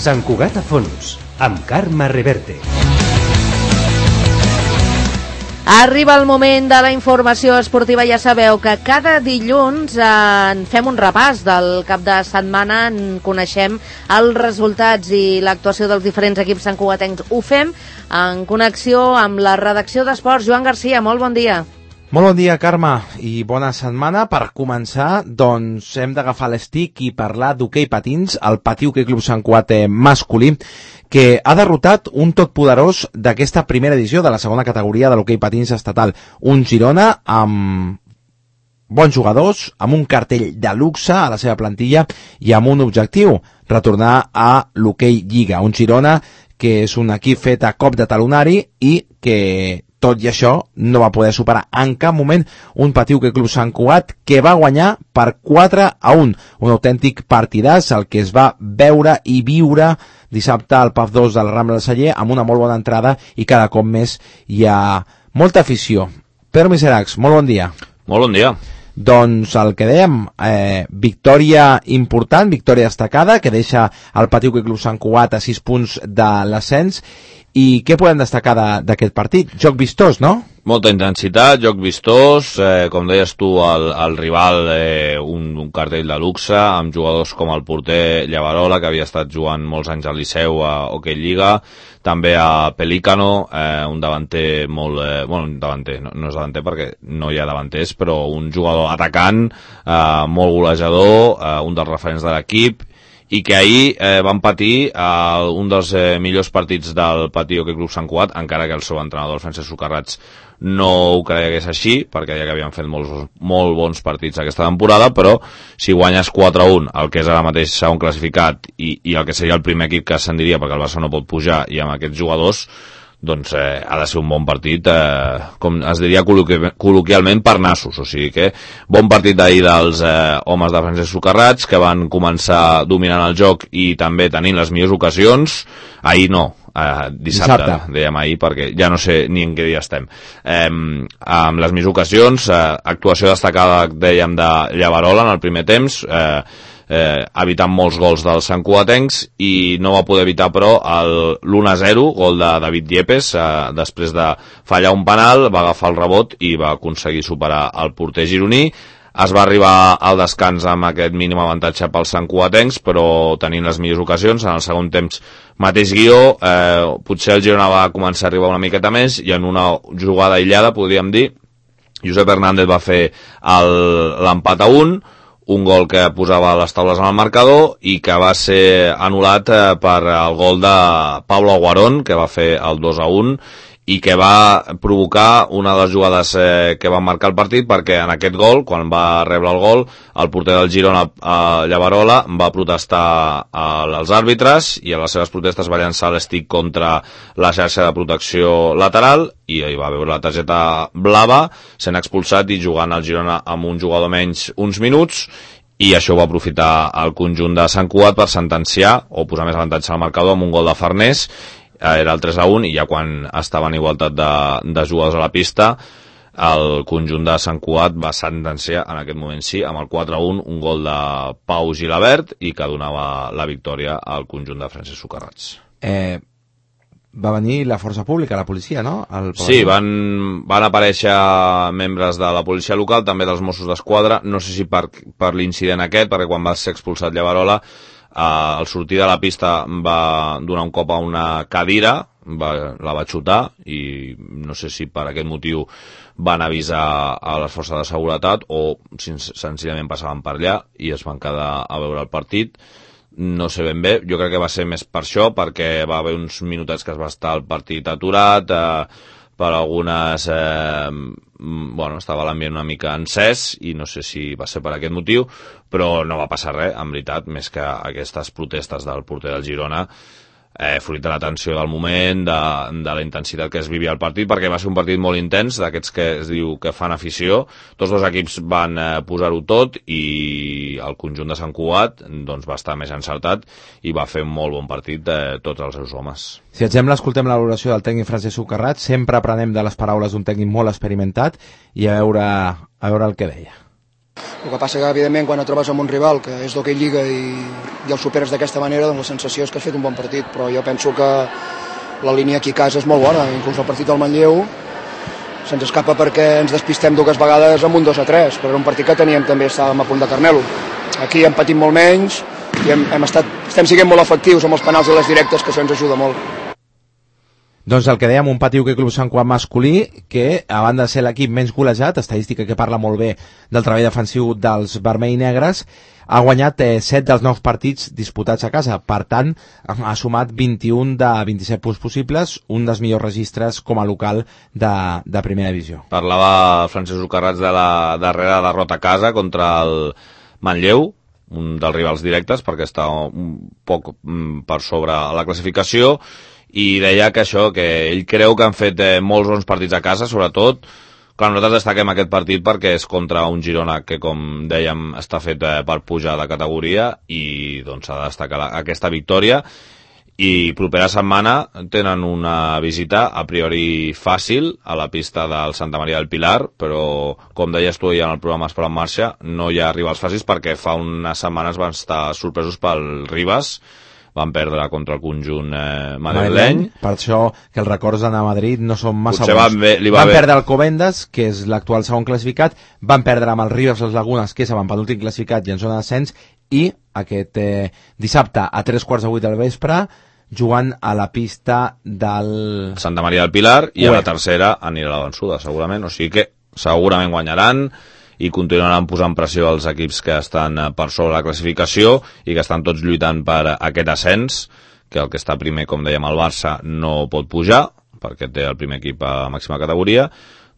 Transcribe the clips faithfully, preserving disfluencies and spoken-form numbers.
Sant Cugat a fons, amb Carme Reverte. Arriba el moment de la informació esportiva. Ja sabeu que cada dilluns en fem un repàs del cap de setmana, en coneixem els resultats i l'actuació dels diferents equips santcugatencs. Ho fem en connexió amb la redacció d'Esports. Joan Garcia, molt bon dia. Molt bon dia, Carme, i bona setmana. Per començar, doncs, hem d'agafar l'estic i parlar d'hoquei patins, el Patí Hoquei Club Sant Cugat masculí, que ha derrotat un totpoderós d'aquesta primera edició de la segona categoria de l'hoquei patins estatal, un Girona amb bons jugadors, amb un cartell de luxe a la seva plantilla i amb un objectiu, retornar a l'hoquei Lliga. Un Girona que és un equip fet a cop de talonari i que, tot i això, no va poder superar en cap moment un Patí Hoquei Club Sant Cugat que va guanyar per quatre a un. Un autèntic partidàs, el que es va veure i viure dissabte al P A F dos de la Rambla del Celler, amb una molt bona entrada i cada cop més hi ha molta afició. Pedro Miseracs, molt bon dia. Molt bon dia. Doncs el que dèiem, eh, victòria important, victòria destacada, que deixa el Patí Hoquei Club Sant Cugat a sis punts de l'ascens. I què podem destacar d'aquest partit? Joc vistós, no? Molta intensitat, joc vistós, eh, com deies tu, el, el rival, eh, un, un cartell de luxe, amb jugadors com el porter Llavarola, que havia estat jugant molts anys al Liceu a Hoquei Lliga, també a Pelícano, eh, un davanter molt... Eh, bueno, un davanter, no, no és davanter perquè no hi ha davanters, però un jugador atacant, eh, molt golejador, eh, un dels referents de l'equip, i que ahir eh, van patir eh, un dels eh, millors partits del Patí Hoquei Club Sant Cugat, encara que el seu entrenador, el Francesc Socarrats, no ho creia que és així, perquè deia que havien fet molts, molt bons partits aquesta temporada, però si guanyes quatre a un, el que és ara mateix segon classificat, i, i el que seria el primer equip que ascendiria, perquè el Barça no pot pujar, i amb aquests jugadors, doncs eh, ha de ser un bon partit, eh, com es diria col·loqui col·loquialment, per nassos. O sigui que bon partit d'ahir dels eh, homes de Francesc Socarrats, que van començar dominant el joc i també tenint les millors ocasions. Ahir no, eh, dissabte, dissabte, dèiem ahir, perquè ja no sé ni en què dia estem. Eh, amb les millors ocasions, eh, actuació destacada, dèiem, de Llavarola en el primer temps, eh, Eh, evitant molts gols dels santcugatencs, i no va poder evitar però l'u a zero, gol de David Diepes, eh, després de fallar un penal, va agafar el rebot i va aconseguir superar el porter gironí. Es va arribar al descans amb aquest mínim avantatge pels santcugatencs, però tenint les millors ocasions. En el segon temps, mateix guió, eh, potser el Girona va començar a arribar una miqueta més, i en una jugada aïllada, podríem dir, Josep Hernández va fer l'empat a un, un gol que posava les taules en el marcador i que va ser anul·lat eh, per el gol de Pablo Aguarón, que va fer el dos a un, i que va provocar una de les jugades eh, que va marcar el partit, perquè en aquest gol, quan va rebre el gol, el porter del Girona, eh, Llavarola, va protestar eh, als àrbitres, i a les seves protestes va llançar l'estic contra la xarxa de protecció lateral, i hi va veure la targeta blava, sent expulsat i jugant al Girona amb un jugador menys uns minuts, i això ho va aprofitar el conjunt de Sant Cugat per sentenciar o posar més avantatge al marcador amb un gol de Farnés. Era el tres a un, i ja quan estava en igualtat de, de jugadors a la pista, el conjunt de Sant Cugat va sentenciar en aquest moment sí, amb el quatre a un, un gol de Pau Gilabert, i que donava la victòria al conjunt de Francesc Socarrats. Eh, va venir la força pública, la policia, no? El sí, van, van aparèixer membres de la policia local, també dels Mossos d'Esquadra, no sé si per, per l'incident aquest, perquè quan va ser expulsat Llavarola, Uh, al sortir de la pista va donar un cop a una cadira, va, la va xutar, i no sé si per aquest motiu van avisar a les forces de seguretat o senzillament passaven per allà i es van quedar a veure el partit. No sé ben bé, jo crec que va ser més per això, perquè va haver uns minutets que es va estar el partit aturat, eh, per algunes... Eh, bueno, estava l'ambient una mica encès, i no sé si va ser per aquest motiu, però no va passar res, en veritat, més que aquestes protestes del porter del Girona, eh, fruit de la tensió del moment, de, de la intensitat que es vivia al partit, perquè va ser un partit molt intens, d'aquests que es diu que fan afició. Tots dos equips van eh, posar-ho tot, i el conjunt de Sant Cugat doncs, va estar més encertat i va fer un molt bon partit eh, tots els seus homes. Si exemple, escoltem la valoració del tècnic Francesc Socarrats, sempre aprenem de les paraules d'un tècnic molt experimentat, i a veure, a veure el que deia. El que passa que, evidentment, quan et trobes amb un rival que és d'hoquei lliga i, i el superes d'aquesta manera, doncs la sensació és que has fet un bon partit, però jo penso que la línia aquí a casa és molt bona, inclús el partit del Manlleu se'ns escapa perquè ens despistem dues vegades amb un dos a tres, però era un partit que teníem també, estàvem a punt de carner-lo. Aquí hem patit molt menys i hem, hem estat, estem siguent molt efectius amb els penals i les directes, que això ens ajuda molt. Doncs el que dèiem, un Pati Hoquei Club Sant Cugat masculí que, a banda de ser l'equip menys golejat, estadística que parla molt bé del treball defensiu dels vermell i negres, ha guanyat eh, set dels nous partits disputats a casa. Per tant, ha sumat vint-i-un de vint-i-set punts possibles, un dels millors registres com a local de, de primera divisió. Parlava Francesc Ucarrats de la darrera derrota a casa contra el Manlleu, un dels rivals directes, perquè està un poc per sobre la classificació, i deia que això, que ell creu que han fet eh, molts bons partits a casa, sobretot. Clar, nosaltres destaquem aquest partit perquè és contra un Girona que, com dèiem, està fet eh, per pujar de categoria i doncs s'ha de destacar la, aquesta victòria. I propera setmana tenen una visita a priori fàcil a la pista del Santa Maria del Pilar, però com deies tu ja en el programa Esport en Marxa, no hi ha rivals fàcils perquè fa unes setmanes van estar sorpresos pel Ribas, van perdre contra el conjunt eh, madrileny. Per això que els records d'anar a Madrid no són massa Potser bons. Van, bé, li va van bé. perdre el Covendas, que és l'actual segon classificat, van perdre amb el Ribas les Lagunes, que és amb penúltim classificat i en zona d'ascens, i aquest eh, dissabte a tres quarts de vuit del vespre jugant a la pista del Santa Maria del Pilar, i Ué. a la tercera anirà a la vençuda, segurament. O sigui que segurament guanyaran i continuaran posant pressió als equips que estan per sobre la classificació i que estan tots lluitant per aquest ascens, que el que està primer, com dèiem, el Barça no pot pujar, perquè té el primer equip a màxima categoria,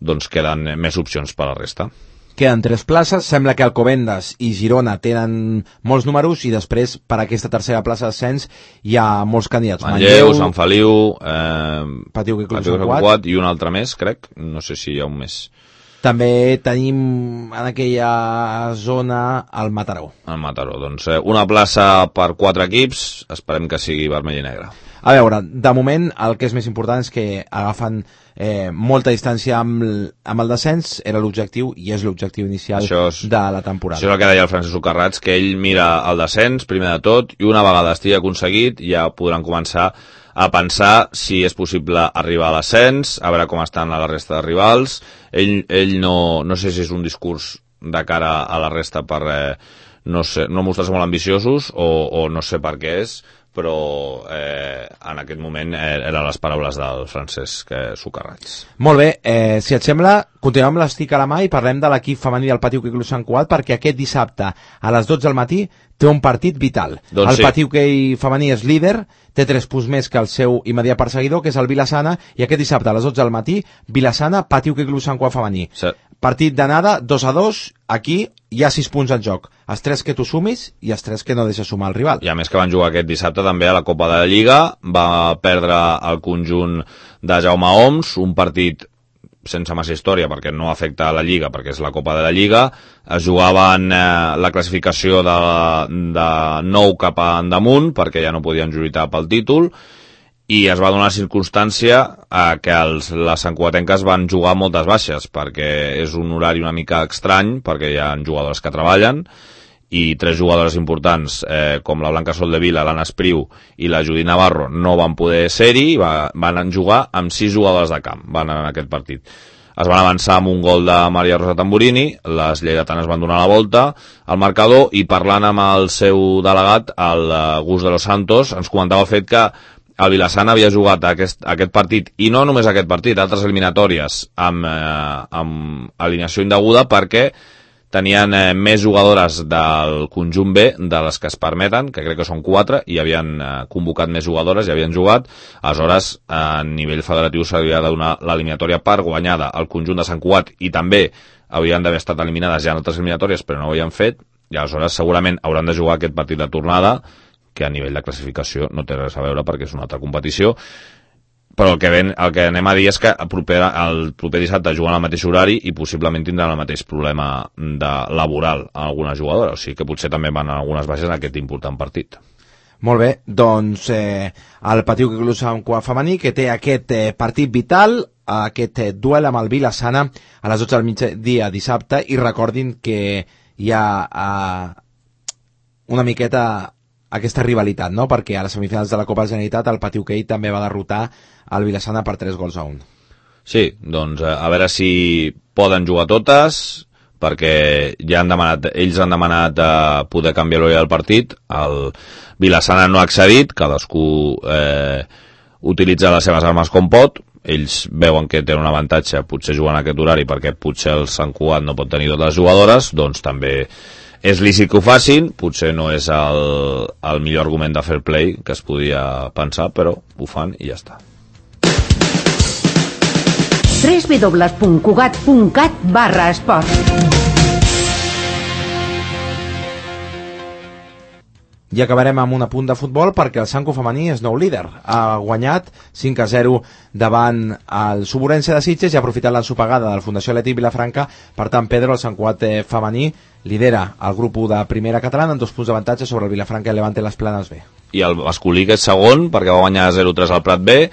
doncs queden més opcions per a la resta. Queden tres places, sembla que Alcobendas i Girona tenen molts números i després per aquesta tercera plaça d'ascens hi ha molts candidats. Manlleu, Sant Feliu, eh, Pati Hoquei Club Pati Hoquei Sant Sant Cugat Cugat i un altre més, crec, no sé si hi ha un més. També tenim en aquella zona el Mataró. El Mataró, doncs eh, una plaça per quatre equips, esperem que sigui vermell i negre. A veure, de moment el que és més important és que agafen eh, molta distància amb, l- amb el descens, era l'objectiu i és l'objectiu inicial Això és- de la temporada. Això és el que deia el Francesc Ucarrats, que ell mira el descens, primer de tot, i una vegada estigui aconseguit ja podran començar a pensar si és possible arribar a l'ascens, a veure com estan a la resta de rivals. Ell, ell no, no sé si és un discurs de cara a la resta per eh, no, sé, no mostrar-se molt ambiciosos o, o no sé per què és, però eh, en aquest moment eh, eren les paraules del Francesc eh, Ucarrats. Molt bé, eh, si et sembla, continuem amb l'estic a la mà i parlem de l'equip femení del Pati Hoquei Club Sant Cugat, perquè aquest dissabte a les dotze del matí té un partit vital. Doncs el sí. Pati Hoquei femení és líder, té tres punts més que el seu immediat perseguidor, que és el Vilassana, i aquest dissabte a les dotze del matí, Vilassana, Pati Hoquei Club Sant Cugat femení. Sí. Partit d'anada, dos a dos, aquí hi ha sis punts en joc. Els tres que tu sumis i els tres que no deixes sumar el rival. I a més que van jugar aquest dissabte també a la Copa de la Lliga, va perdre el conjunt de Jaume Oms, un partit sense massa història perquè no afecta a la Lliga, perquè és la Copa de la Lliga. Es jugaven eh, la classificació de, de nou cap a endamunt perquè ja no podien lluitar pel títol, i es va donar la circumstància eh, que els, les santcugatenques van jugar moltes baixes, perquè és un horari una mica estrany, perquè hi ha jugadores que treballen, i tres jugadores importants, eh, com la Blanca Soldevila, l'Anna Espriu i la Judit Navarro, no van poder ser-hi, va, van jugar amb sis jugadores de camp, van en aquest partit. Es van avançar amb un gol de Maria Rosa Tamburini, les lleidatanes van donar la volta al marcador, i parlant amb el seu delegat, el Gus de los Santos, ens comentava el fet que el Vilassana havia jugat aquest, aquest partit, i no només aquest partit, altres eliminatòries amb, eh, amb alineació indeguda, perquè tenien eh, més jugadores del conjunt B de les que es permeten, que crec que són quatre, i havien eh, convocat més jugadores i havien jugat. Aleshores, a nivell federatiu s'havia de donar l'eliminatòria per guanyada al conjunt de Sant Cugat, i també havien d'haver estat eliminades ja en altres eliminatòries, però no ho havien fet, i aleshores segurament hauran de jugar aquest partit de tornada, que a nivell de classificació no té res a veure perquè és una altra competició, però el que, ven, el que anem a dir és que el proper, el proper dissabte juguen al mateix horari i possiblement tindran el mateix problema de laboral a alguna jugadora, o sigui que potser també van a algunes baixes en aquest important partit. Molt bé, doncs eh, el Pati Hoquei Club Sant Cugat femení, que té aquest eh, partit vital, aquest eh, duel amb el Vilassana a les dotze del migdia dissabte, i recordin que hi ha uh, una miqueta aquesta rivalitat, no? Perquè a les semifinals de la Copa Generalitat el Pati Hoquei també va derrotar el Vilassana per tres gols a un. Sí, doncs a veure si poden jugar totes, perquè ja han demanat, ells han demanat eh, poder canviar l'hora del partit, el Vilassana no ha accedit, cadascú eh, utilitza les seves armes com pot, ells veuen que tenen un avantatge potser jugant a aquest horari perquè potser el Sant Cugat no pot tenir totes les jugadores, doncs també és lícit que ho facin, potser no és el, el millor argument de fair play que es podia pensar, però ho fan i ja està. w w w punt cugat punt cat barra esport. I acabarem amb un apunt de futbol perquè el Sanco femení és nou líder. Ha guanyat cinc a zero davant el Suburense de Sitges i ha aprofitat l'ensopegada de la Fundació Atlètic Vilafranca. Per tant, Pedro, el Sant Cugat femení, lidera el grup u de primera catalana amb dos punts d'avantatge sobre el Vilafranca i Levante les Planes B. I el masculí, que és segon, perquè va guanyar zero tres al Prat B.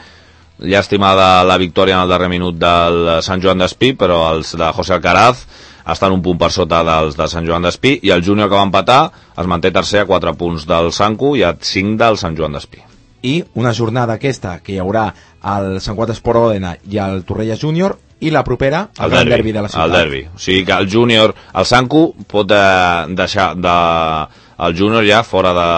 Llàstima de la victòria en el darrer minut del Sant Joan d'Espí, però els de José Alcaraz estan un punt per sota dels de Sant Joan d'Espí, i el júnior que va empatar es manté tercer a quatre punts del Sanco i a cinc del Sant Joan d'Espí. I una jornada aquesta que hi haurà al Sant Cugat Esport Òdena i al Torrelles Júnior, i la propera el, el derbi, derbi de la ciutat. El derbi, o sigui que el júnior, el Sanco pot eh, deixar de, el júnior ja fora de,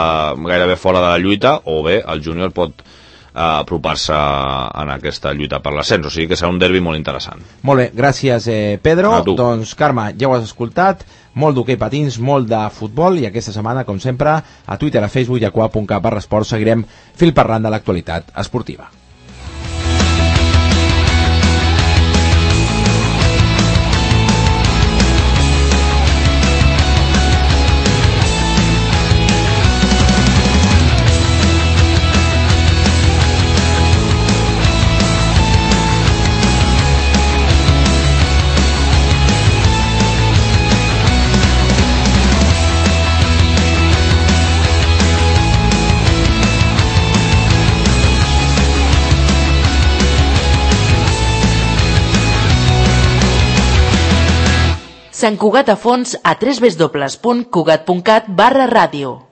gairebé fora de la lluita, o bé el júnior pot a apropar-se en aquesta lluita per l'ascens, o sigui que serà un derbi molt interessant. Molt bé, gràcies eh, Pedro. Doncs Carme, ja ho has escoltat, molt d'hoquei patins, molt de futbol, i aquesta setmana, com sempre, a Twitter, a Facebook i a cuap punt cat barra esport seguirem fil parlant de l'actualitat esportiva. Sant Cugat a fons a w w w punt cugat punt cat barra ràdio.